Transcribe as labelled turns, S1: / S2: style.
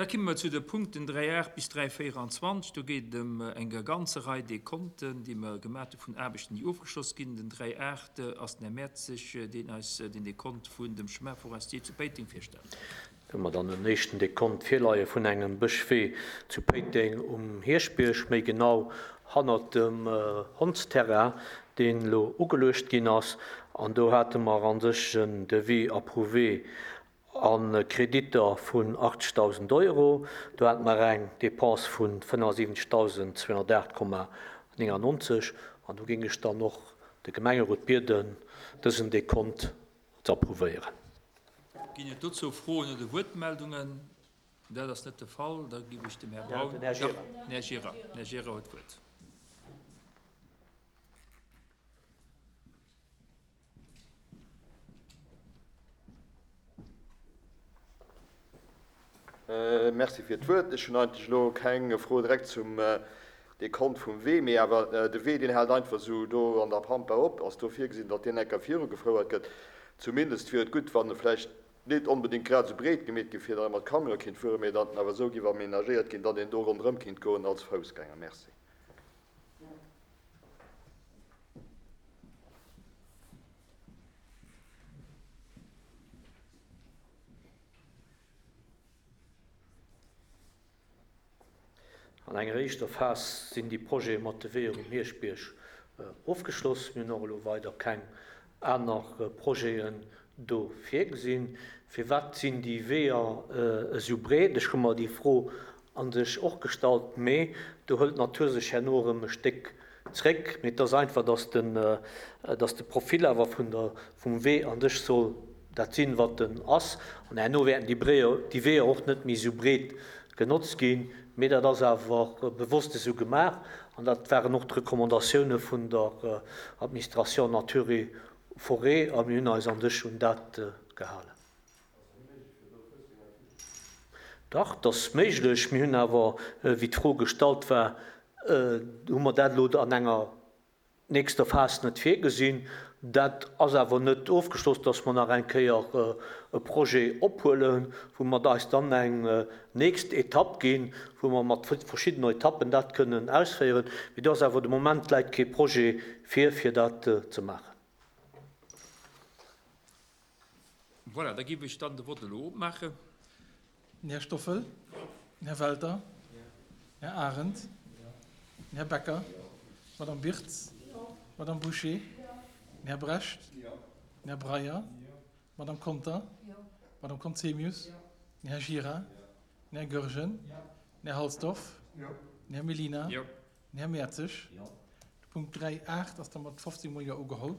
S1: Da komme mer zu de Punkten 3.8 bis 3.24. Do geet et ëm eng ganze Rei Dekonten, déi mer gemaat hu vun Aarbechten, déi ofgeschloss ginn. Den 3.8 ass den Här Mertzig, deen eis den Dekont vun dem Chemin forestier zu Péiteng virstellt.
S2: Do hu mer dann en éischten Dekont virleie vun engem Bëschwee zu Péiteng um Hierschbierg, méi genau hannert dem Hondsterrain, deen elo ugeluecht ginn ass. An do hate mer a sech en Devis approuvé a Kreditter vun 80.000 Euro. Do hate mer eng Dépense vu 75.208,99. An do géing ech dann och de Gemengerot bieden, dësen Dekont ze approuvéieren.
S1: Ginn et dozou Froen oder Wuertmeldungen? Dat ass net de Fall. Da ginn ech dem Här Braun. Den Här Gira. Den Här Gira huet d'Wuert.
S3: Merci fir d'Wuert. Ech hunn eigentlech elo keng Fro direkt zum Dekont vum Wee, mee awer de Wee, deen hält einfach esou do an der Pampa op. Ass do virgesinn, datt deen eng Kéier virugefouert gëtt? Zumindest wier et gutt, wann e vläicht net onbedéngt grad esou breet gemeet géif, fir datt e mat Camion kinnt fueren, mee datt en awer esou géif aménagéiert ginn, datt een do ronderëm kinnt goen als Foussgänger. Merci.
S2: An enger éischter Phas sinn déi Projete mat de Weeër um Hierschbierg ofgeschloss. Mir hunn och elo weider keng aner Projeten do virgesinn. Firwat sinn déi Weeër esou breet? Ech hu mer déi Fro a sech och gestallt, mee do hëlt d'Natur sech herno erëm e Stéck zréck. Mee et ass einfach, dass den, dass de Profil awer vun der, vum Wee an sech soll dat sinn, wat en ass. An herno wäerten déi Bréier, déi Weeër och net méi esou breet genotzt ginn. Mee dat ass awer bewosst esou gemaach an dat waren och d'Recommandatioune vun der Administration Nature et Forêt a mir hunn eis an sech un dat gehalen. Dach, et ass méiglech. Mir hunn awer, wéi d'Fro gestallt war, hu mer dat elo an enger nächster Phas net virgesinn. Dat ass awer net ofgeschloss, dass mer nach eng Kéier e Projet ophuelen, wou mer eis dann eng nächst Etapp ginn, wou mer mat verschiddenen Etappen dat kënnen ausféieren. Mee do ass awer de Moment läit kee Projet vir, fir dat ze maachen.
S1: Voilà, da géif ech dann de Vott elo opmaachen.
S4: Den Här Stoffel, den Här Welter, den Här Arendt, den Här Becker, d'Madame Birtz, d'Madame Bouché, den Här Brecht, den Här Breyer, d'Madame Conter, d'Madame Conzemius, den Här Gira, den Här Goergen, den Här Halsdorf, den Här Mellina, den Här Mertzig. De Punkt 3, 8 ass da mat 15 mol Jo ugeholl.